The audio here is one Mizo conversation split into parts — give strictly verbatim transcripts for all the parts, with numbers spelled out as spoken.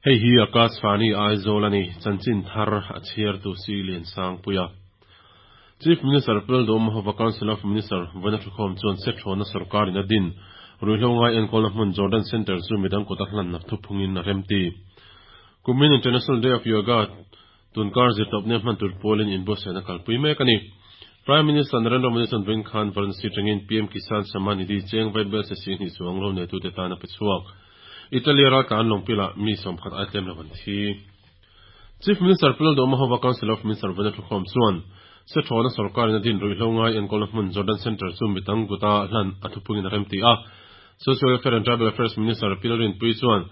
Hei hi Akashvani Aizawl ani chanchin thar a chhiar tu si lian sang puia. Chief Minister Pu Lalduhoma Council of Minister vawiina thukhawm chuan Sethawna sarkar in a din ruihhlo ngai enkawlna hmun Jordan Center chu midang kut a hlan nak thuphungin a remti. Kumin International Day of Yoga tunkar zirtawpni a hman tur pawlin inbuatsaihna kalpui mek ani. Prime Minister Narendra Modi chuan vawiin khan Varanasi atangin P M Kisan Samman Nidhi cheng vaibel se sing hnih chuang lo nei tute tan a pe chhuak. Italy raltlan lawngpila mi sawmkhat ai tlem lo an thi. Chief Minister Pu Lalduhoma Council of Minister vawiina thukhawm chuan Sethawna sarkar in a din ruihhlo ngai enkawlna hmun Jordan Center chu midang kuta hlan a thuphungin a remti a. Social Welfare and Tribal Affairs Minister Pi Lalrinpuii chuan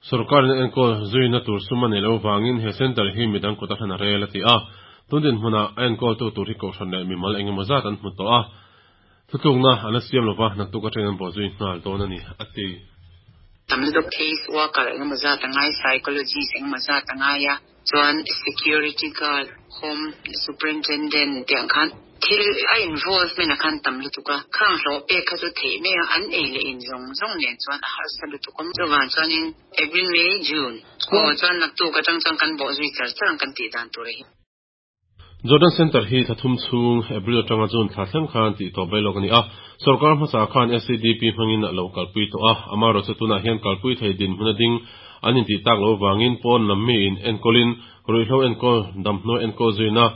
sarkar in enkawl zuina tur sum a nei lo wangin he center hi midang kuta hlan a rel a ti a. Tundin hmuna a enkawl tu tur hi kohhran leh mimal engemaw zat an hmu tawh a. Thutlukna an la siam lova naktuk atangin an bawh zui nghal dawn ani a ti. Tam lutuk case worker engemaw zat a ngai, psychologist engemaw zat a ngai a, chuan security guard, home superintendent tiang khan thil a involvement a khan tam lutuk a. Khang hlawh pek kha chu theih mai a, an ei leh in zawng zawng nen chuan a harsa lutuk awm. Chuvan chuanin April, May, June aw chuan naktuk atang chuan kan bawh zui char char ang kan tih dan tur hi. Jordan Center hi thla thum chhung April atanga June thla thleng khan tih tawp bai lawk ani a. Sarkar hmasa khan S E D P hmangin a lo kalpui tawh a. Amaherawhchu chu tunah hian kalpui thei din hmun a ding an inti tak lo wangin pawn lam mi in enkawlin ruihhlo enkawl damhnaw enkawl zuina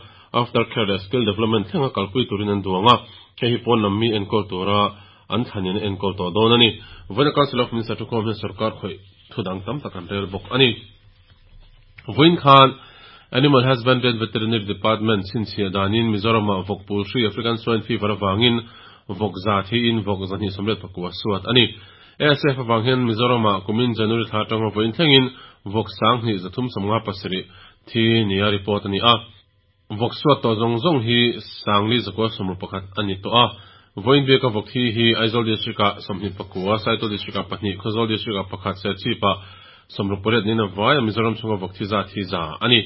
after care leh skill development thlenga kalpui turin an duang a. Hei hi pawn lam mi enkawl tura an thlanin enkawl tawh dawn ani. Vawiina Council of Minister thukhawm hian sarkar khawih thudang tam tak an rel bawk ani. Vawiin khan Animal Husbandry and Veterinary Department chhinchhiah danin Mizoram ah vawk pul hri African Swine Fever awangin vawk za thi in vawk zahnih sawmriat pakua suat ani. A S F awang hian Mizoram ah kumin January thla atanga vawiin thlengin vawk sanghnih zathum sawmnga pasarih thi nia report ani a. Vawk suat tawh zawng zawng hi sangli zakua sawmruk pakhat ani tawh a. Vawiin beka vawk thi hi Aizawl District ah sawmhnih pakua, Saitual District ah pahnih, Khawzawl District ah pakhat, Serchhip ah sawmruk pariat niin a vai a. Mizoram chhunga vawk thi zat hi za ani.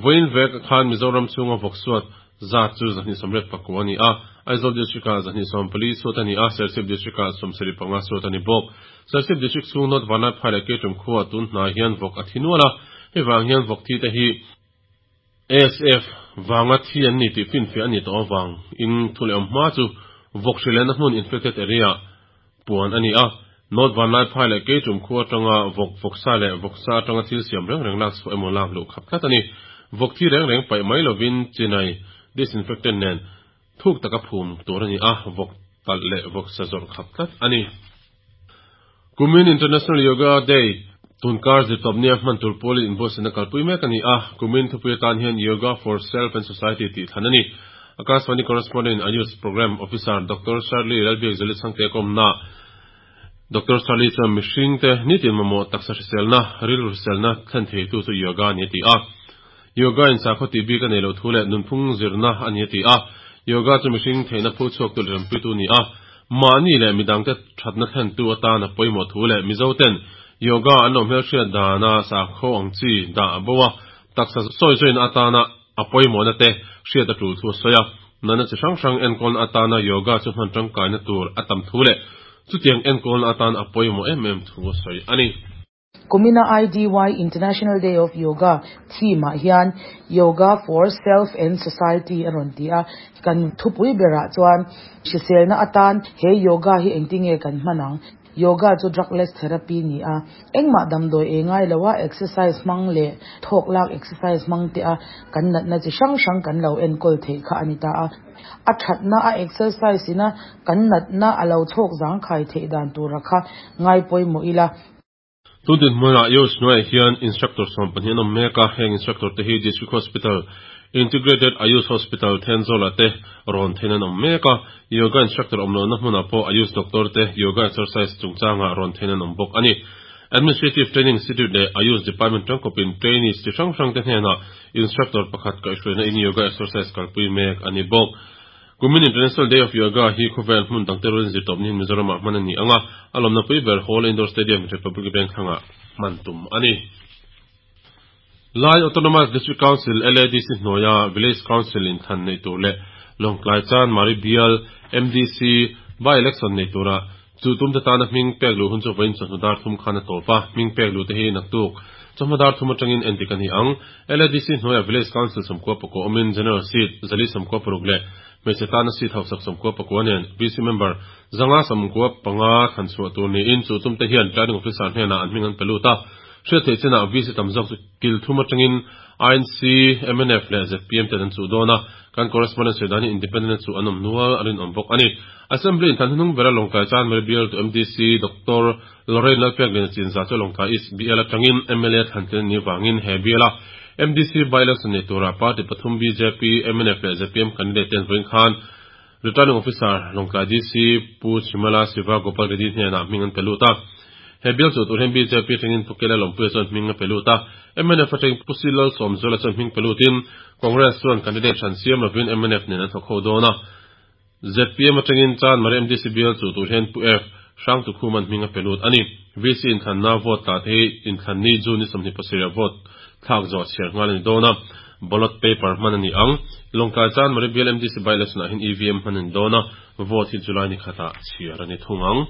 Vawiin vek khan Mizoram chhunga vawk suat zat chu zahnih sawmriat pakua ani a. Aizawl District ah zahnih sawm pali suat ani a, Serchhip District ah sawmsarih panga suat ani bawk. Serchhip District chhung North Vanlaiphai leh Keitum khuwa tun hnai hian vawk a thi nual a. Hei vang hian vawk thi te hi A S F wanga thi an ni tih finfiah ani tawh awang in thule awm hma chu vawk hrilehna hmun infected area puan ani a. North Vanlaiphai leh Keitum khuwa atanga vawk vawksa leh vawksa atanga thil siam reng reng lak chhuah emaw lak luh khap tlat ani. Vawk thi reng reng paih mai lovin chinai disinfectant nen thuk taka phum tur ani a. Vawk talh leh vawk sa zawrh khap tlat ani. Kumin International Yoga Day tunkar zirtawpni a hman tur pawlin inbuatsaihna kalpui mek ani a. Kumin thupui atan hian Yoga for Self and Society tih thlan ani. Akashvani correspondent Ayush Program Officer Doctor Shirley Lalbiakzeli Chhangte kawmna Doctor Shirley chuan mihring te nitin mamawh taksa hriselna rilru hriselna thlen thei tu chu yoga ani a ti a. Yoga in sakhaw tih bik a nei lo thu leh nunphung zirna ani a ti a. Yoga chu mihring theihna pho chhuak tu leh rampui tu ni a. Mahni leh midang te thatna thlen tu atan a pawimawh thu leh Mizo ten yoga an lo hmel hriat dana sakhaw ang chi dah a bo a taksa sawi zawin atana a pawimawhna te hriat a tul thu a sawi a. Nana chi hrang hrang enkawl atana yoga chu hman tangkaina tur a tam thu leh chutiang enkawl atan a pawimawh em em thu a sawi ani. Kumina I D Y International Day of Yoga theme ah hian Yoga for Self and Society a rawn ti a. Kan thupui berah chuan hriselna atan he yoga hi engtinge kan hmanang. Yoga chu drugless therapy ni a, engmah damdawi e ngai lo a, exercise hmang leh thawk lak exercise hmang te a kan natna chi hrang hrang kan lo enkawl theih kha ani ta a. A thatna a exercise ina kan natna a lo chhawk zang khai theih dan tura kha ngai pawimawh ila. Tundin hmuna Ayush hnuaiah hian instructor sawm pahnih an awm mek a. Heng instructor te hi District Hospital, Integrated Ayush Hospital Thenzawl te rawn thein an awm mek a. Yoga instructor awm lohna hmunah pawh Ayush doctor te yoga exercise chungchanga rawn thein an awm bawk ani. Administrative Training Institute leh Ayush Department tangkawpin trainees chi hrang hrang te hnenah instructor pakhat kaihhruaina in yoga exercise kalpui mek ani bawk. Kumin International Day of Yoga hi khawvel hmun dang te rualin zirtawpni Mizoram ah hman ani anga. A lawmna pui ber Hall Indoor Stadium, Republic Bank thlangah hman tum ani. Lai Autonomous District Council L A D C hnuaia Village Council in than nei tur leh Lawngtlai Chanmari bial M D C by election nei tura Chu tum te tana hming pek lu hun chu vawiin chawhnu dar thum khan a tawp a, hming pek lu te hi naktuk chawhma dar thum atangin endik a ni ang. L A D C hnuaia Village Council sawmkua pakua awmin General Seat zali sawmkua paruk leh hmeichhe tana seat hausak sawmkua pakua nen V C member zanga sawmkua panga thlan chhuah tur niin chu tum te hian Returning Officer hnenah an hming an pe lut a. Hriat theih chinah V C tam zawk chu kil thum atangin I N C, M N F leh Z P M ten an chuh dawn a. Kan correspondent sawi danin Independent chu an awm nual a rinawm bawk a ni. Assembly in thlan hnung bera Lawngtlai Chanmari bial tu M D C Doctor Lorraine Lalpekliana Chinzah chu Lawngtlai East bial atangin M L A thlan tlin ni wangin he biala M D C by-election nei tura party pathum B J P, M N F leh Z P M candidate ten vawiin khan Returning Officer Lawngtlai D C Pu Chimala Siva Gopal Reddy hnenah hming an pe lut a. He bial chu tur hian B J P atangin Pu Kela Lawmpuia chuan hming a pe lut a, M N F atangin Pu Silal Sawmzuala chuan hming pe lutin Congress chuan candidate hran siam lovin M N F nen an thawk ho dawn a. Z P M atangin Chanmari M D C bial chu tur hian Pu F Hrangtu Khuman hming a pe lut ani. V C inthlanna vote tla te hi inthlan ni June ni sawmhnih pasarih vote thlak zawh chhiar nghal ani dawn a, ballot paper hman ani ang. Lawngtlai Chanmari bial M D C by-election ah hian E V M hman ani dawn a, vote hi July ni khatah chhiar ani thung ang.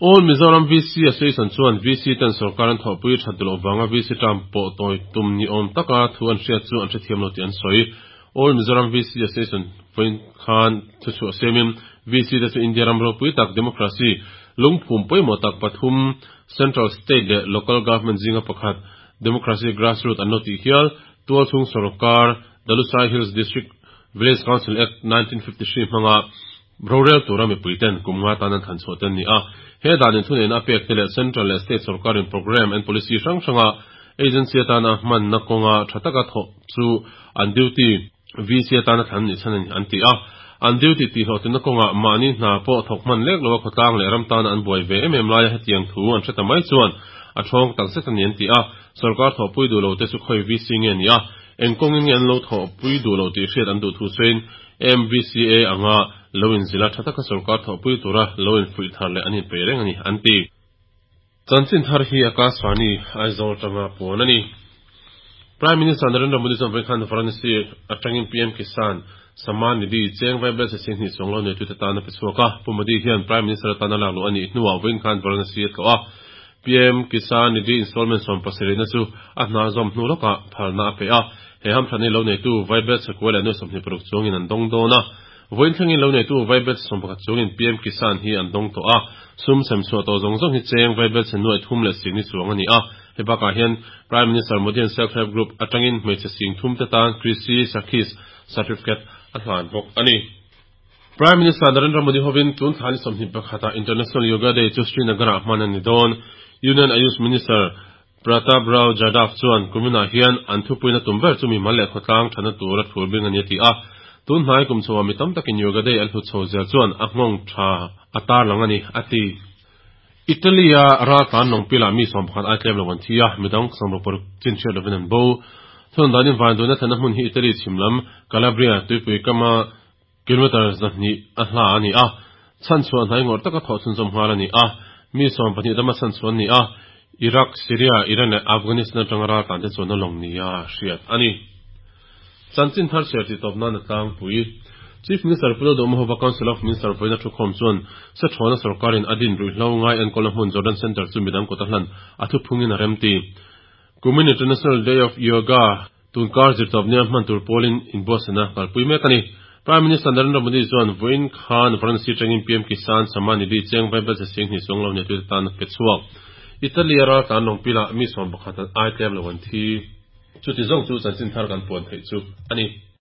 All Mizoram V C Association chuan V C ten sarkar an thawhpui that duh loh wanga V C term pawh tawi tum ni awm taka thu an hriat chu an hrethiam lo tih an sawi. All Mizoram V C Association vawiin khan thu chhuah siamin V C te chu India ram ropui tak democracy lungphum pawimawh tak pathum central, state leh local government zinga pakhat democracy grassroots an lo tih hial tualchhung sarkar The Lushai Hills District Village Council Act nineteen fifty-three hmanga rorel tura mipui ten kum nga tan an thlan chhuah ten ni a. He danin thuneihna a pek te leh central leh state sarkarin program and policy hrang hranga agency atana hman na kawnga tha taka thawh chu an duty V C atana thlan ni chhan ani an ti a. An duty tih hlawhtlinna kawnga mahni hna pawh thawk hman lek lo a khawtlang leh ram tana an buai ve em em laia hetiang thu an hreta mai chuan a thawng tak zet ani an ti a. Sarkar thawhpui duh lo te chu khawi V C nge ni a, eng kawngin nge an lo thawhpui duh lo tih hriat an duh thu sawiin M V C A anga lo in zila tha taka sarkar thawhpui tura lo in fuih thar leh an in pe reng ani an ti. Chanchin thar hi Akashvani Aizawl tanga puan ani. Prime Minister Narendra Modi chuan vawiin khan Varanasi atangin P M Kisan Samman Nidhi cheng vaibel chhe sing hnih chuang lo nei tute tan a pe chhuak a. Pu Modi hian Prime Minister atana lak luh anih hnuah vawiin khan Varanasi a tlawh a. P M Kisan Nidhi installment sawm pasarih na chu a hna zawm hnu lawkah phalna a pe a. He hamthlan hi lo neitu vaibel chhe kua leh nuai sawmhnih paruk chuangin an dawng dawn a. Vawiin thlengin lo neitu vaibel sawm pakhat chuangin P M Kisan hi an dawng tawh a. Sum sem chhuah tawh zawng zawng hi cheng vaibel chhe nuai thum leh singni chuang ani a. He bakah hian Prime Minister Modi an self help group atangin hmeichhe sing thum te tan Krishi Sakhis certificate a hlan bawk ani. Prime Minister Narendra Modi hovin tun thla ni sawmhnih pakhata International Yoga Day chu Srinagar ah hman ani dawn. Union Ayush Minister Pratap Rao Jadhav chuan kuminah hian an thupuina tum ber chu mi mal leh khawtlang thana tura thul bing ani a ti a. Tun hnai kum chhowa mi tam takin Yoga Day an hlut chho zel chuan a nghawng tha a tar lang ani a ti. Italia ral tlan lawngpila mi sawm pakhat ai tlem lo an thi a, midang sawmruk paruk chin hriat lovin an bo. Thun danin vanduaina thlenna hmun hi Italy chhimlam Calabria tuipui kama kilometer zahnih a hla ani a. Chhan chuan hnai ngawr taka thawh chhunzawm nghal ani a. Mi sawm pahnih dama chhan chuan ni a. Iraq, Syria, Iran leh Afghanistan atanga ral tlan te chuan a lawng nia hriat ani. Chanchin thar chhiar ti tawp nan a tlangpui. Chief Minister Pu Lalduhoma Council of Minister vawiina thu khawm chuan se thawna sarkarin a din ruihhlo ngai enkawlna hmun Jordan Center chu midang kawta hlan a thu phungin a rem ti. Kumin International Day of Yoga tunkar zirtawp nia hman tur pawlin inbuatsaihna kalpui mek ani. Prime Minister Narendra Modi chuan vawiin khan Varanasi atangin P M Kisan Samman Nidhi cheng vaibel chhe sing hnih chuang lo nei tute tan a pe chhuak. Italia ral tlan lawngpila mi sawm pakhat ai tlem lo an thi. Chuti zawng chu chanchin thar kan puan theih chu ani.